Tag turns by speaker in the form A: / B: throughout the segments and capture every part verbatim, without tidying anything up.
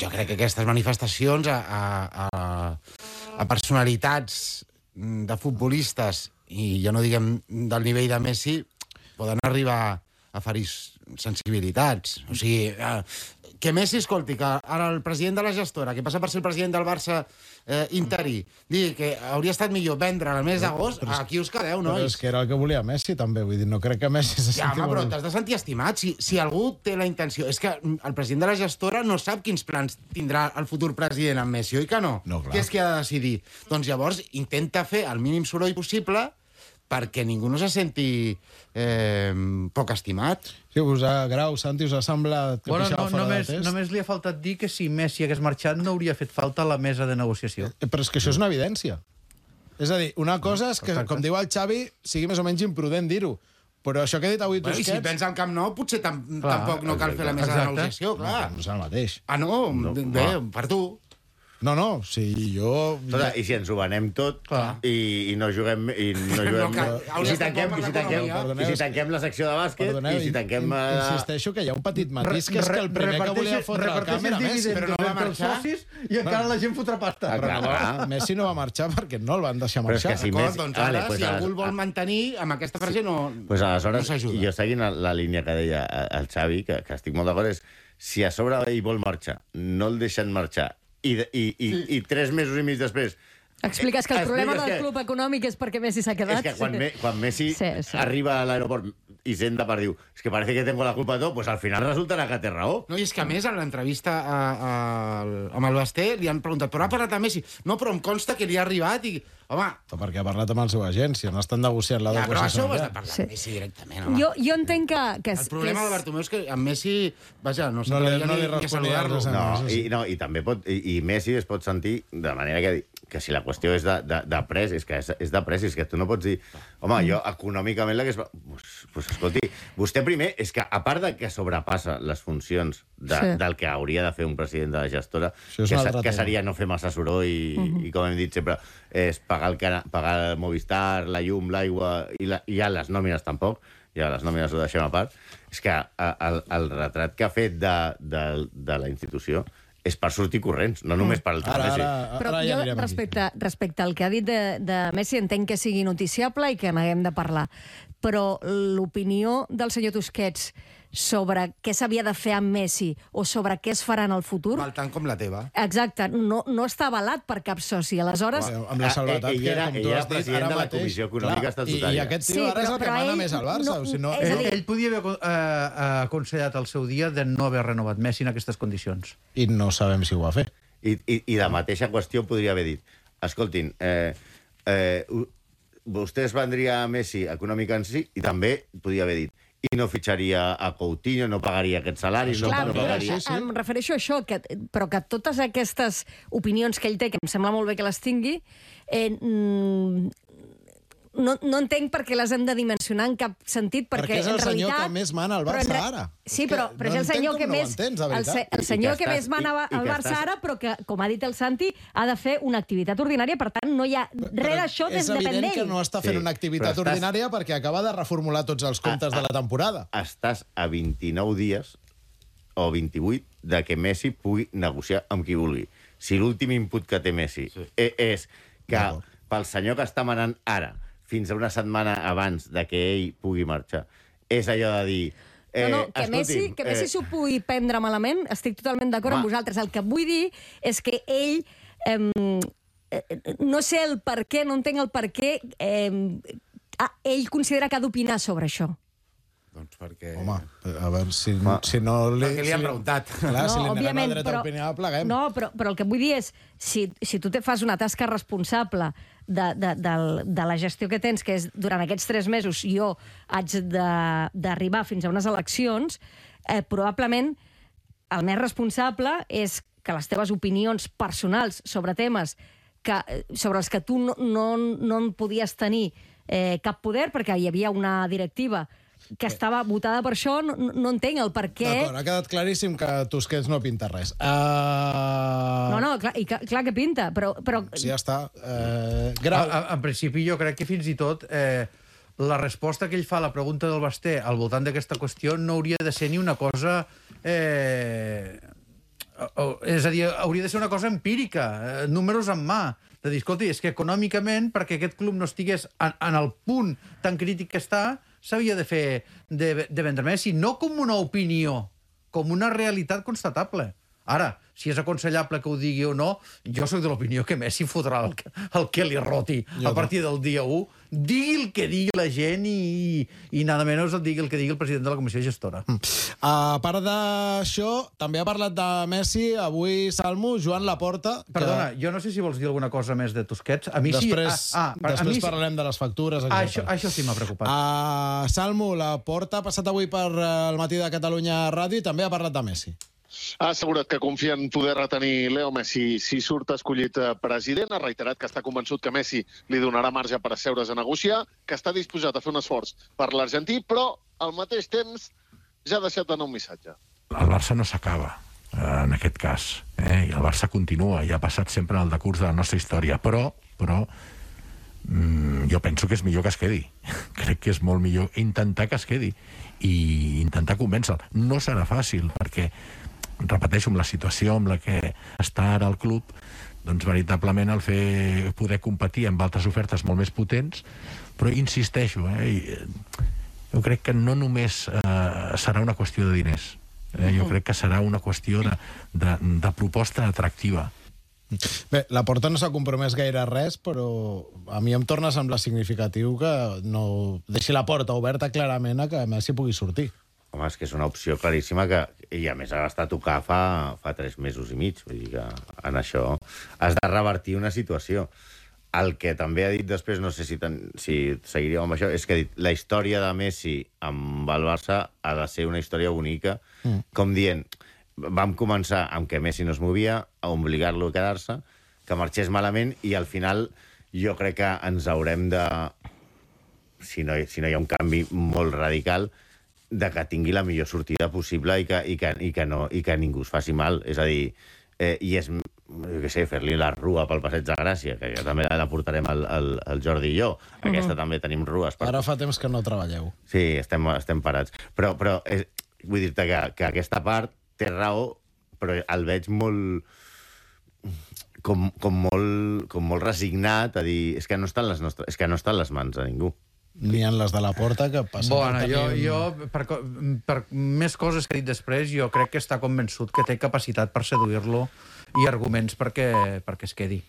A: jo crec que aquestes manifestacions a, a, a, a personalitats de futbolistes, i ja no diguem del nivell de Messi, poden arribar a ferir sensibilitats. O sigui, eh, que Messi, escolti, que ara el president de la gestora, que passa per ser el president del Barça eh, interí, digui que hauria estat millor vendre el mes d'agost, aquí us quedeu, nois.
B: Però és que era el que volia Messi, també. Vull dir, no crec que Messi se
A: ja,
B: senti...
A: home, però t'has de sentir estimat. Si, si algú té la intenció... És que el president de la gestora no sap quins plans tindrà el futur president amb Messi, oi que no?
B: No, clar.
A: Què és que ha de decidir? Doncs llavors intenta fer el mínim soroll possible perquè ningú no se senti eh, poc estimat.
B: Sí, us ha, Grau, Santi, us ha semblat que
C: bueno,
B: pixava
C: no,
B: fora
C: només,
B: de test?
C: només li ha faltat dir que si Messi hagués marxat no hauria fet falta la mesa de negociació.
B: Eh, Però és que això és una evidència. És a dir, una cosa és que,
C: Exacte.
B: com diu el Xavi, sigui més o menys imprudent dir-ho. Però això que ha dit avui
A: Bueno, I
B: Tusquets...
A: si pensa al Camp Nou, potser tam
C: Clar,
A: tampoc no cal fer la mesa
C: exacte.
A: de negociació, clar.
B: No, no és el mateix.
A: Ah, no?
D: No,
A: Bé,
D: clar.
A: per tu.
B: No, no, si jo...
D: Escolta, i si ens ho venem tot
C: Clar.
D: i, i no juguem... I, no juguem
A: No cal.
D: I,
A: Hauria
D: si
A: estat
D: tanquem,
A: bo per
D: i, si tanquem,
A: l'economia.
D: I si tanquem la secció de bàsquet,
B: Perdoneu,
D: i si tanquem...
B: in-
D: eh,
B: insisteixo que hi ha un petit matís, que és que el primer que volia fotre al camp era Messi.
A: però no va marxar.
C: I encara la gent fotrà pasta.
D: Ah, clar, clar.
B: Messi no va marxar perquè no el van deixar
D: Però és que
B: marxar.
D: si
A: D'acord,
D: Messi-
A: doncs
D: Vale,
A: ara,
D: pues
A: si
D: ara-
A: algú el vol mantenir, amb aquesta frase no,
D: Pues aleshores,
A: no s'ajuda.
D: jo seguint la, la línia que deia el Xavi, que, que estic molt d'acord, és si a sobre ell vol marxar, no el deixen marxar, i, i, i, sí. i tres mesos i mig després...
E: Expliques que el
D: eh,
E: problema
D: expliques
E: del
D: que-
E: club econòmic és perquè Messi s'ha quedat.
D: És que quan, me, quan Messi
E: Sí, sí.
D: arriba a l'aeroport i senta per diu és que parece que tengo la culpa de todo, pues al final resultarà que té raó.
A: No, i és que a més, en l'entrevista a, a, amb el Basté li han preguntat, però ha parlat a Messi? No, però em consta que li ha arribat i... Home,
B: Perquè ha parlat amb el seu agent, si no estan negociant la
A: ja,
B: doble
A: però això ho has de
B: salarial.
A: parlar
E: Sí.
A: amb Messi directament, home.
E: Jo, jo entenc que... que
A: El problema
E: que
A: de Bartomeu és que amb Messi, vaja, no
B: No li-
A: s'atrevia
B: no li
A: ni, ni a
B: responia
A: saludar-lo.
B: res a
D: No,
B: sí, sí.
D: i, no, i també pot... I, i Messi es pot sentir de manera que, que si la qüestió és de, de, de pres, és que és, és de pres, és que tu no pots dir home, jo econòmicament l'hagués... Pues, pues, escolti, vostè primer, és que a part de que sobrepassa les funcions de,
E: Sí.
D: del que hauria de fer un president de la gestora,
B: Això és
D: que,
B: un
D: se-
B: altre
D: que
B: tema.
D: seria no fer massa soroll i, uh -huh. i com hem dit sempre, és pagar el, cana, pagar el Movistar, la llum, l'aigua, i, la, i ja les nòmines tampoc, ja les nòmines ho deixem a part, és que a, el, el retrat que ha fet de, de, de la institució és per sortir corrents, no només per el tema
B: Ara,
D: Messi.
B: ara,
E: Però
B: ara ja
E: jo,
B: anirem aquí.
E: respecte, respecte al que ha dit de, de Messi, entenc que sigui noticiable i que n'haguem de parlar. Però l'opinió del senyor Tusquets sobre què s'havia de fer amb Messi o sobre què es farà en el futur...
A: Val tant com la teva.
E: Exacte, no, no està avalat per cap soci. Aleshores,
B: Bueno, amb la salvetat
D: Ah, ell
B: que,
D: era-
B: com
D: ell
B: tu
D: era
B: has dit,
D: president
B: ara
D: de la
B: mateix...
D: Comissió Econòmica
B: Clar,
D: Estatutària.
B: I, I aquest tio
E: Sí,
B: ara és
E: però-
B: el que
E: però
B: mana
E: ell
B: més al Barça.
E: no-
B: o si no,
E: és a
C: Ell,
E: dir-
C: ell podia haver eh, aconsellat al seu dia de no haver renovat Messi en aquestes condicions.
B: I no sabem si ho va fer.
D: I, i, i de mateixa qüestió podria haver dit escoltin, eh, eh, u- vostè es vendria a Messi econòmica en si i també podria haver dit i no fitxaria a Coutinho, no pagaria aquests salaris, no,
E: clar,
D: no
E: però
D: pagaria...
B: sí, sí.
E: em refereixo a això, que, però que totes aquestes opinions que ell té, que em sembla molt bé que les tingui, eh, mm, no, no entenc per què les hem de dimensionar en cap sentit, perquè,
B: Perquè és el
E: en
B: senyor
E: realitat...
B: que més mana al
E: però en
B: Barça
E: re-
B: ara.
E: Sí,
B: És que
E: però, però
B: no
E: és el
B: entenc
E: senyor
B: com
E: que
B: no ho
E: més...
B: entens, de
E: el,
B: veritat.
E: se,
D: I-
E: el
D: i
E: senyor
D: que
E: que,
D: estàs-
E: més mana
D: i- i
E: al
D: que
E: Barça
D: estàs-
E: ara, però que, com ha dit el Santi, ha de fer una activitat ordinària, per tant, no hi ha res d'això
B: és
E: depèn
B: evident que
E: d'ell.
B: no està fent
D: Sí,
B: una activitat
D: però estàs-
B: ordinària perquè acaba de reformular tots els comptes
D: Ah,
B: de la temporada.
D: Estàs a vint-i-nou dies o vint-i-vuit de que Messi pugui negociar amb qui vulgui. Si l'últim input que té Messi sí. és que
B: D'acord.
D: pel senyor que està manant ara fins a una setmana abans de que ell pugui marxar, és allò de dir...
E: No, no, que
D: escolti'm,
E: Messi, que Messi
D: eh,
E: s'ho pugui prendre malament, estic totalment d'acord amb
D: Home.
E: vosaltres. El que vull dir és que ell... Eh, no sé el per què, no entenc el per què eh, ah, ell considera que ha d'opinar sobre això.
A: Doncs perquè...
B: Home, a veure, si,
D: Home.
B: si no... Li,
A: Perquè li han
B: si
A: preguntat.
B: Clar, si li neguem
E: òbviament,
B: el dret a opinar, pleguem.
E: No, però, però el que vull dir és, si, si tu te fas una tasca responsable de, de, de, de la gestió que tens, que és durant aquests tres mesos jo haig de- d'arribar fins a unes eleccions, eh, probablement el més responsable és que les teves opinions personals sobre temes que, sobre els que tu no, no, no en podies tenir eh, cap poder, perquè hi havia una directiva que estava votada per això, no, no entenc el per què...
B: D'acord, ha quedat claríssim que Tusquets no pinta res. Uh...
E: No, no, clar, i, clar que pinta, però... però...
B: Sí, ja està. Uh,
C: A,
B: grau.
C: a, en principi, jo crec que fins i tot eh, la resposta que ell fa a la pregunta del Basté al voltant d'aquesta qüestió no hauria de ser ni una cosa... Eh, És a dir, hauria de ser una cosa empírica, números en mà, de dir, escolta, és que econòmicament, perquè aquest club no estigués en, en el punt tan crític que està, s'havia de fer, de, de vendre Messi, no com una opinió, com una realitat constatable. Ara, si és aconsellable que ho digui o no, jo soc de l'opinió que Messi fotrà el, el que li roti a partir del dia u. Digui el que digui la gent i, i nada menys el digui el que digui el president de la comissió gestora.
B: Mm. A part d'això, també ha parlat de Messi avui, Salmo, Joan Laporta. Que...
C: Perdona, jo no sé si vols dir alguna cosa més de Tusquets. A mi
B: després,
C: sí... Ah, ah,
B: després
C: a mi...
B: parlarem de les factures.
C: Ah, això, això sí m'ha preocupat.
B: Uh, Salmo, Laporta ha passat avui per el Matí de Catalunya Ràdio i també ha parlat de Messi.
F: Ha assegurat que confia en poder retenir Leo Messi si surt escollit president. Ha reiterat que està convençut que Messi li donarà marge per asseure's a negociar, que està disposat a fer un esforç per l'argentí, però al mateix temps ja ha deixat d'anar un missatge.
G: El Barça no s'acaba, en aquest cas, eh? I el Barça continua, i ha passat sempre en el decurs de la nostra història, però, però mm, jo penso que és millor que es quedi. Crec que és molt millor intentar que es quedi i intentar convèncer-lo. No serà fàcil, perquè repeteixo, amb la situació amb la que està ara el club, doncs veritablement el fer poder competir amb altres ofertes molt més potents, però insisteixo, eh, jo crec que no només eh, serà una qüestió de diners, eh, jo crec que serà una qüestió de, de, de proposta atractiva.
B: Bé, Laporta no s'ha compromès gaire res, però a mi em torna a semblar significatiu que no deixi la porta oberta clarament a que Messi pugui sortir.
D: Home, és que és una opció claríssima que, i a més ha estat a tocar fa, fa tres mesos i mig. Vull dir que en això has de revertir una situació. El que també ha dit després, no sé si, ten, si seguiríem amb això, és que ha dit la història de Messi amb el Barça ha de ser una història bonica, mm. com dient, vam començar amb que Messi no es movia, a obligar-lo a quedar-se, que marxés malament, i al final jo crec que ens haurem de, si no, si no hi ha un canvi molt radical, de que tingui la millor sortida possible i que, i que, i que, no, i que ningú es faci mal. És a dir, eh, i és, jo què sé, fer-li la rua pel Passeig de Gràcia, que ja també la portarem el, el, el Jordi i jo. Aquesta uh-huh. també tenim rues. Per...
B: Ara fa temps que no treballeu.
D: Sí, estem, estem parats. Però, però és, vull dir-te que, que aquesta part té raó, però el veig molt... Com, com, molt, com molt resignat a dir, és que no estan les nostres, és que no estan les mans de ningú.
B: Ni en les de la porta, que passa...
C: Bona,
B: per
C: jo,
B: tenir...
C: jo per, per més coses que he dit després, jo crec que està convençut que té capacitat per seduir-lo i arguments perquè, perquè es quedi.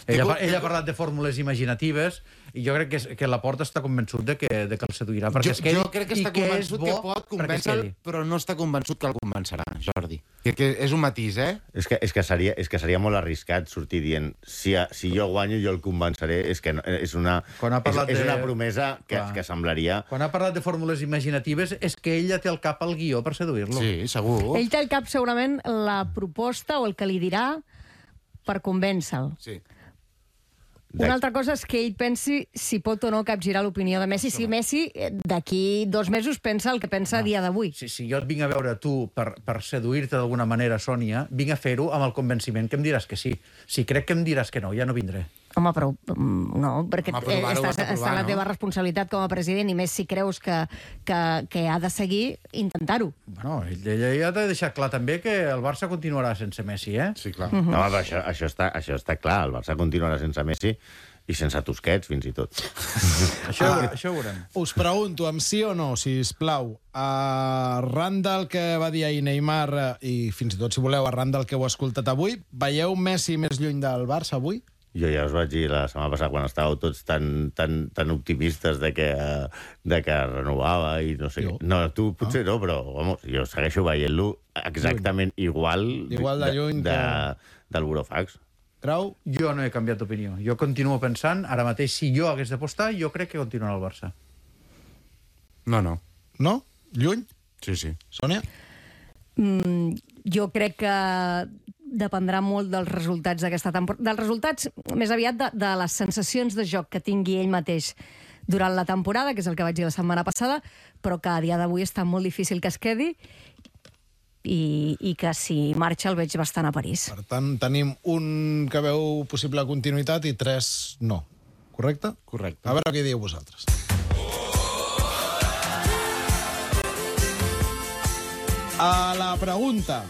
C: Ell ha, ell ha parlat de fórmules imaginatives i jo crec que, és, que Laporta està convençut de que, de que el seduirà perquè
A: jo,
C: es quedi.
A: Jo crec que està convençut que, que pot convèncer-lo, però no està convençut que el convencerà, Jordi. Que, que és un matís, eh?
D: És que, és que, seria, és que seria molt arriscat sortir dient si, si jo guanyo jo el convenceré. És que no, és, una, és, és una promesa que, que semblaria...
C: Quan ha parlat de fórmules imaginatives és que ella té al cap el guió per seduir-lo.
A: Sí, segur.
E: Ell té al cap segurament la proposta o el que li dirà per convèncer-lo.
A: Sí.
E: Una altra cosa és que ell pensi si pot o no capgirar l'opinió de Messi, si Messi d'aquí dos mesos pensa el que pensa a dia d'avui.
C: Si, si jo et vinc a veure tu per, per seduir-te d'alguna manera, Sònia, vinc a fer-ho amb el convenciment que em diràs que sí. Si crec que em diràs que no, ja no vindré.
E: Home, però no, perquè
A: Home, provar,
E: està,
A: està
E: està la teva responsabilitat com a president i més si creus que, que, que ha de seguir, intentar-ho.
C: Bueno, ella ja t'ha deixat clar també que el Barça continuarà sense Messi, eh?
A: Sí, clar.
D: Uh-huh. No, però això, això, està, això està clar. El Barça continuarà sense Messi i sense Tusquets, fins i tot.
C: això, ah, això ho veurem.
B: Us pregunto, amb sí o no, sisplau, arran del que va dir ahir Neymar, i fins i tot, si voleu, arran del que heu escoltat avui, veieu Messi més lluny del Barça avui?
D: Jo ja us vaig dir la setmana passada, quan estàveu tots tan, tan, tan optimistes de que, de que renovava i no sé què. No, tu potser no, però vamos, jo segueixo veient-lo exactament igual,
B: igual de lluny
D: de, de, del Burofax.
B: Grau?
C: Jo no he canviat d'opinió. Jo continuo pensant, ara mateix, si jo hagués d'apostar, jo crec que continuarà el Barça.
A: No, no.
B: No? Lluny?
A: Sí, sí.
B: Sònia?
E: Mm, jo crec que dependrà molt dels resultats d'aquesta temporada. Dels resultats, més aviat, de, de les sensacions de joc que tingui ell mateix durant la temporada, que és el que vaig dir la setmana passada, però que a dia d'avui està molt difícil que es quedi i, i que si marxa el veig bastant a París.
B: Per tant, tenim un que veu possible continuïtat i tres no. Correcte?
A: Correcte.
B: A veure què dieu vosaltres. A la pregunta,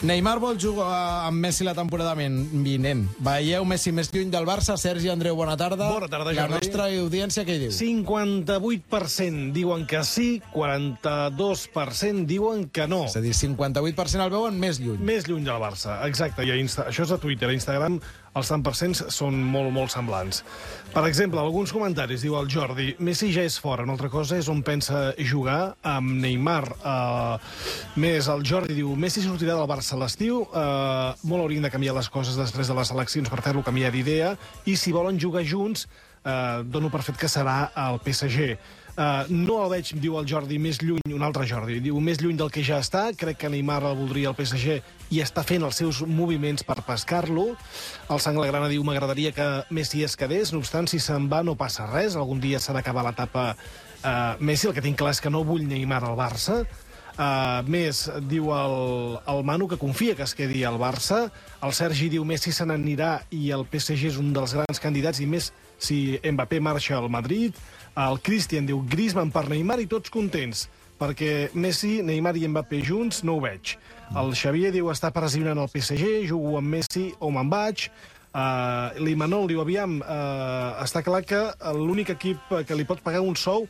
B: Neymar vol jugar amb Messi la temporada vinent. Veieu Messi més lluny del Barça? Sergi Andreu, bona tarda.
H: Bona tarda,
B: La
H: Jordi.
B: nostra audiència què hi diu?
H: cinquanta-vuit per cent diuen que sí, quaranta-dos per cent diuen que no.
B: És a dir, cinquanta-vuit per cent el veuen més lluny.
H: Més lluny del Barça, exacte. I a Insta... Això és a Twitter. A Instagram els tant per cent són molt, molt semblants. Per exemple, alguns comentaris, diu el Jordi, Messi ja és fora, una altra cosa és on pensa jugar amb Neymar. Uh, més, el Jordi diu, Messi sortirà del Barça a l'estiu, uh, molt haurien de canviar les coses després de les eleccions per fer-lo canviar d'idea, i si volen jugar junts, uh, dono per fet que serà el P S G. Uh, no el veig, diu el Jordi, més lluny, un altre Jordi, diu més lluny del que ja està, crec que Neymar el voldria el P S G i està fent els seus moviments per pescar-lo. El Sanglagrana diu, m'agradaria que Messi es quedés, no obstant, si se'n va no passa res, algun dia s'ha d'acabar l'etapa uh, Messi, el que tinc clar és que no vull Neymar al Barça. Uh, més, diu el, el Manu que confia que es quedi al Barça. El Sergi diu Messi se n'anirà i el P S G és un dels grans candidats, i més si Mbappé marxa al Madrid. El Christian diu Griezmann per Neymar i tots contents, perquè Messi, Neymar i Mbappé junts no ho veig. El Xavier diu està pressionant el P S G, jugo amb Messi o me'n vaig. Uh, L'Imanol diu, aviam, uh, està clar que l'únic equip que li pot pagar un sou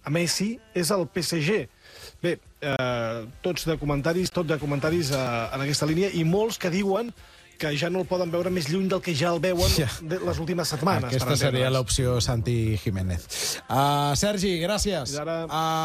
H: a Messi és el P S G. Bé, eh, tots de comentaris, tot de comentaris eh, en aquesta línia, i molts que diuen que ja no el poden veure més lluny del que ja el veuen
B: Ja.
H: les últimes setmanes.
B: Aquesta seria l'opció Santi Jiménez. Uh, Sergi, gràcies.
H: I ara-
B: Uh,